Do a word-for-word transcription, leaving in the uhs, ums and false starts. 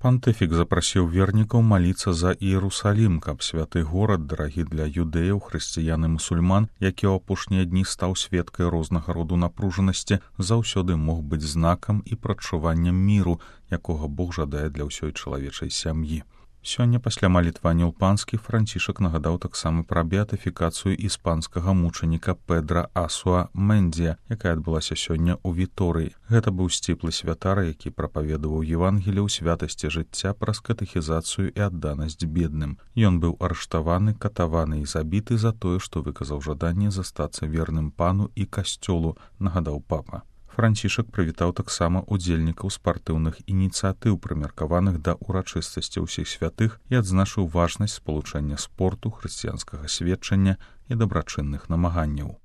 Пантыфік запрасіў вернікаў маліцца за Іерусалім, каб святы горад, дарагі для юдэяў, хрысціян і мусульман, які ў апошнія дні стаў сведкай рознага роду напружанасці, заўсёды мог быць знакам і прадчуваннем міру, якога Бог жадае для ўсёй чалавечай сям'і. Сёння пасля малітвання ў панскі Францішак нагадаў таксама пра беатыфікацыю іспанскага мучаніка Педра Асуа Мендзія, якая адбылася сёння ў Віторыі. Гэта быў сціплы святар, які прапаведаваў Евангелие ў святасці жыцця праз катэхізацыю і адданасць бедным. Ён быў арыштаваны, катаваны і забіты за тое, што выказаў жаданне застацца верным пану і касцёлу, нагадаў папа. Францішак прывітаў таксама удзельнікаў спартыўных ініцыятыў, прымеркаваных да ўрачыстасці ўсіх святых, і адзначыў важнасць спалучэння спорту, хрысціянскага сведчання і дабрачынных намаганняў.